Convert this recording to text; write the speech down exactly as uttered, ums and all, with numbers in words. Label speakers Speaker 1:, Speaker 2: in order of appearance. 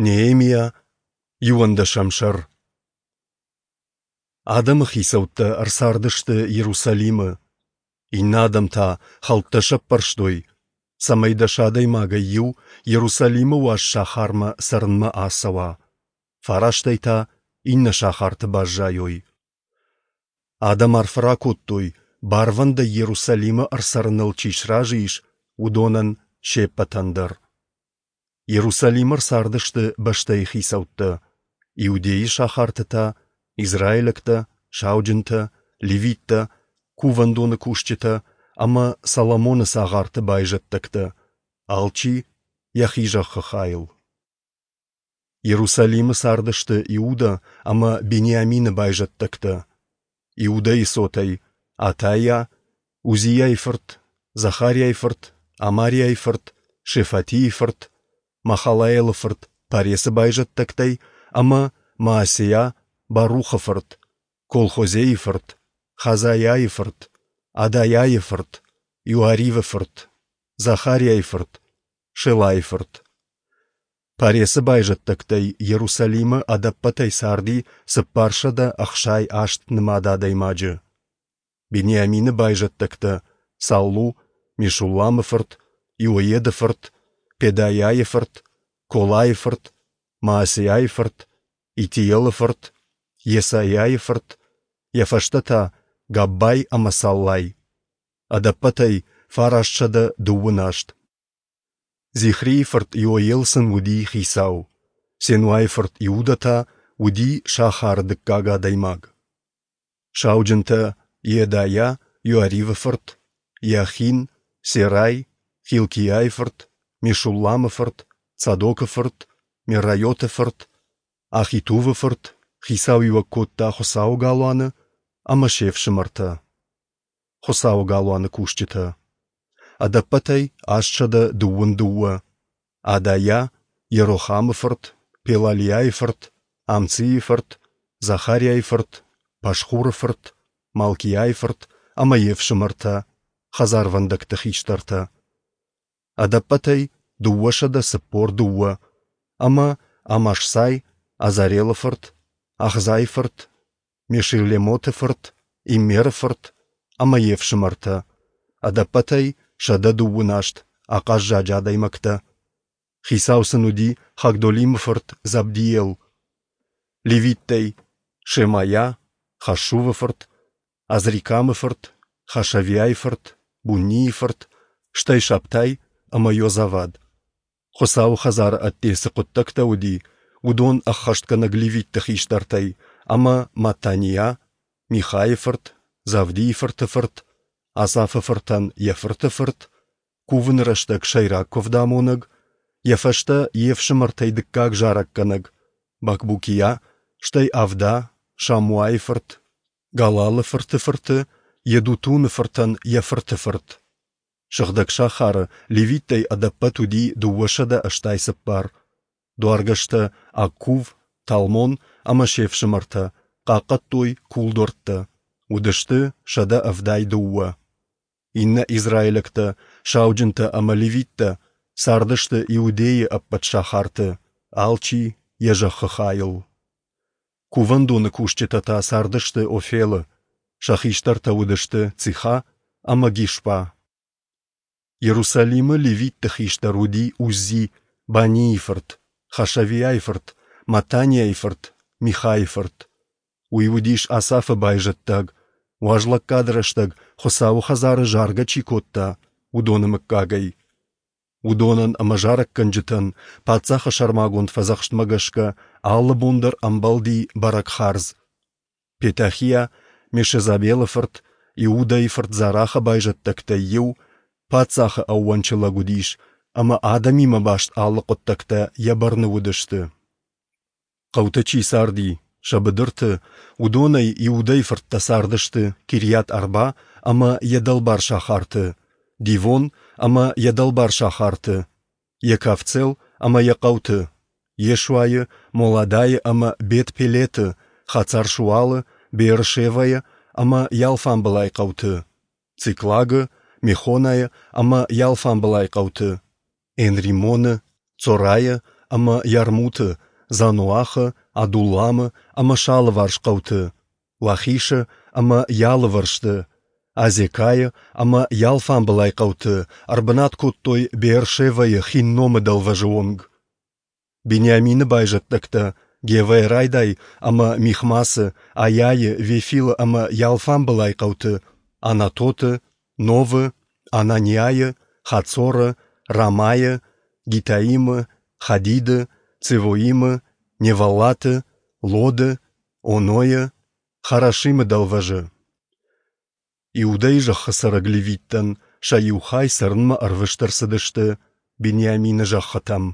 Speaker 1: Неемиа, иуӕндӕсӕм сӕр. Адӕмы хицӕуттӕ ӕрцардысты Иерусалимы, иннӕ адӕм та хӕлттӕ сӕппӕрстой, цӕмӕй дӕс адӕймагӕй иу Иерусалимы уаз сахармӕ цӕрынмӕ ацӕуа, фарастӕй та иннӕ сахарты баззайой. Адӕм арфӕ ракодтой, барвӕндӕй Иерусалимы ӕрцӕрыныл чи сразы ис, уыдонӕн се ппӕтӕн дӕр. Иерусалимы ӕрцардысты бӕстӕйы хицӕуттӕ, Иудейы сахарты та израилӕгтӕ, сауджынтӕ, левиттӕ, кувӕндоны кусджытӕ ӕмӕ Соломоны цагъарты байзӕддӕгтӕ, алчи йӕхи зӕххы хайыл. Иерусалимы цардысты Иуда ӕмӕ Бениамины байзӕддӕгтӕ. Иудӕйы цотӕй Атайа, Узийайы фырт, Захариайы фырт, Амариайы фырт, Шефатийы фырт, Махалаелы фырт Парецы байзӕддӕгтӕй ӕмӕ Маасейа Барухы фырт, Колхозейы фырт, Хазайайы фырт, Адайайы фырт, Иоаривы фырт, Захариайы фырт, Шелайы фырт. Парецы байзӕддӕгтӕй Иерусалимы ӕдӕппӕтӕй царди цыппарсӕдӕ ӕхсай аст нымад адӕймаджы. Бениамины байзӕддӕгтӕ Саллу, Мешулламы фырт, Иоеды фырт, Педайайы фырт, Колайы фырт, Маасейайы фырт, Итиелы фырт, Йесайайы фырт, йӕ фӕстӕ та Габбай ӕмӕ Саллай. Ӕдӕппӕтӕй фарастсӕдӕ дыууын аст. Зихрийы фырт Иоел сын уыди хицау, Сенуайы фырт Иуда та уыди сахары дыккаг адӕймаг. Сауджынтӕ Йедайа, Иоаривы фырт, Иахин, Серай, Хилкиайы фырт, Мешулламы фырт, Цадокы фырт, Мерайоты фырт, Ахитувы фырт хицауиуӕг кодта Хуыцауы галуаны ӕмӕ се фсымӕртӕ, Хуыцауы галуаны кусджытӕ. Ӕдӕппӕтӕй астсӕдӕ дыууын дыууӕ. Адайа, Йерохамы фырт, Пелалиайы фырт, Амцийы фырт, Захариайы фырт, Пашхуры фырт, Малкиайы фырт ӕмӕ йе фсымӕртӕ, хӕдзарвӕндӕгты хистӕртӕ. Ӕдӕппӕтӕй дыууӕсӕдӕ цыппор дыууӕ ӕмӕ Амашсай, Азарелы фырт, Ахзайы фырт, Мешиллемоты фырт, Иммеры фырт ӕмӕ йе фсымӕртӕ, ӕдӕппӕтӕй сӕдӕ дыууын аст ахъаззаджы адӕймӕгтӕ. Хицау сын уыди Хагдолимы фырт Забдиел. Левиттӕй Шемайа, Хашувы фырт, Азрикамы фырт, Хашавиайы фырт, Буннийы фырт, стӕй Шабтай ӕмӕ Йозавад. Хуыцауы хӕдзары ӕдде цы хъуыддӕгтӕ уыди, уыдон ӕххӕстгӕнӕг левитты хистӕртӕй ӕмӕ Маттаниа, Михайы фырт, Завдийы фырты фырт, Асафы фыртӕн йӕ фырты фырт, кувыны рӕстӕг сӕйраг куывдамонӕг, йӕ фӕстӕ йе фсымӕртӕй дыккаг зарӕггӕнӕг, Бакбукиа, стӕй Авда, Шамуайы фырт, Галалы фырты фырты, Йедутуны фыртӕн йӕ фырты фырт. Сыгъдӕг сахары левиттӕй ӕдӕппӕт уыди дыууӕсӕдӕ ӕстай цыппар. Дуаргӕстӕ Аккув, Талмон ӕмӕ се фсымӕртӕ хъахъхъӕдтой кулдуӕрттӕ, уыдысты сӕдӕ ӕвдай дыууӕ. Иннӕ израилӕгтӕ, сауджынтӕ ӕмӕ левиттӕ цардысты Иудейы ӕппӕт сахарты, алчи йӕ зӕххы хайыл. Кувӕндоны кусджытӕ та цардысты Офелы, сӕ хистӕртӕ уыдысты Циха ӕмӕ Гишпа. Иерусалимы левитты хистӕр уыди Уззи, Банийы фырт, Хашавиайы фырт, Маттаниайы фырт, Михайы фырт. Уый уыдис Асафы байзӕддаг, уазлӕггады рӕстӕг Хуыцауы хӕдзары заргӕ чи кодта, уыдоны мыггагӕй. Уыдонӕн ӕмӕ зарӕггӕнджытӕн паддзахы сӕрмагонд фӕдзӕхстмӕ гӕсгӕ алы бон дӕр ӕмбӕлди бӕрӕг хардз. Петахиа, Мешезабелы фырт, Иудӕйы фырт Зарахы байзӕддӕгтӕй иу, паддзахы ӕууӕнчы лӕг уыдис ӕмӕ адӕмимӕ баст алы хъуыддӕгтӕ йӕ бӕрны уыдысты. Хъӕуты чи царди, сӕ быдырты, уыдонӕй Иудӕйы фырттӕ цардысты Кирйат-Арба ӕмӕ йӕ дӕлбар сахарты, Дивон ӕмӕ йӕ дӕлбар сахарты, Екавцел ӕмӕ йӕ хъӕуты, Йешуайы, Моладайы ӕмӕ Бет-Пелеты, Хацар-Шуалы, Беэр-Шевӕйы ӕмӕ йӕ алфамбылай хъӕуты, Циклагы, Мехонайы ӕмӕ йӕ алфамбылай хъӕуты, Энримоны, Цорайы ӕмӕ Ярмуты, Заноахы, Адулламы ӕмӕ сӕ алыварс хъӕуты, Лахишы ӕмӕ йӕ алывӕрсты, Азекайы ӕмӕ йӕ алфамбылай хъӕуты, ӕрбынат кодтой Беэр-Шевӕйы Хинномы дӕлвӕзы онг. Бениамины байзӕддӕгтӕ Гевӕйӕ райдай ӕмӕ Михмасы, Айайы, Вефилы ӕмӕ йӕ алфамбылай хъӕуты, Анатоты, Новы, Ананиайы, Хацоры, Рамайы, Гитаимы, Хадиды, Цевоимы, Неваллаты, Лоды, Онойы, Харашимы дӕлвӕзы. Иудӕйы зӕххы цӕрӕг левиттӕн сӕ иу хай цӕрынмӕ ӕрвыст ӕрцыдысты Бениамины зӕххытӕм.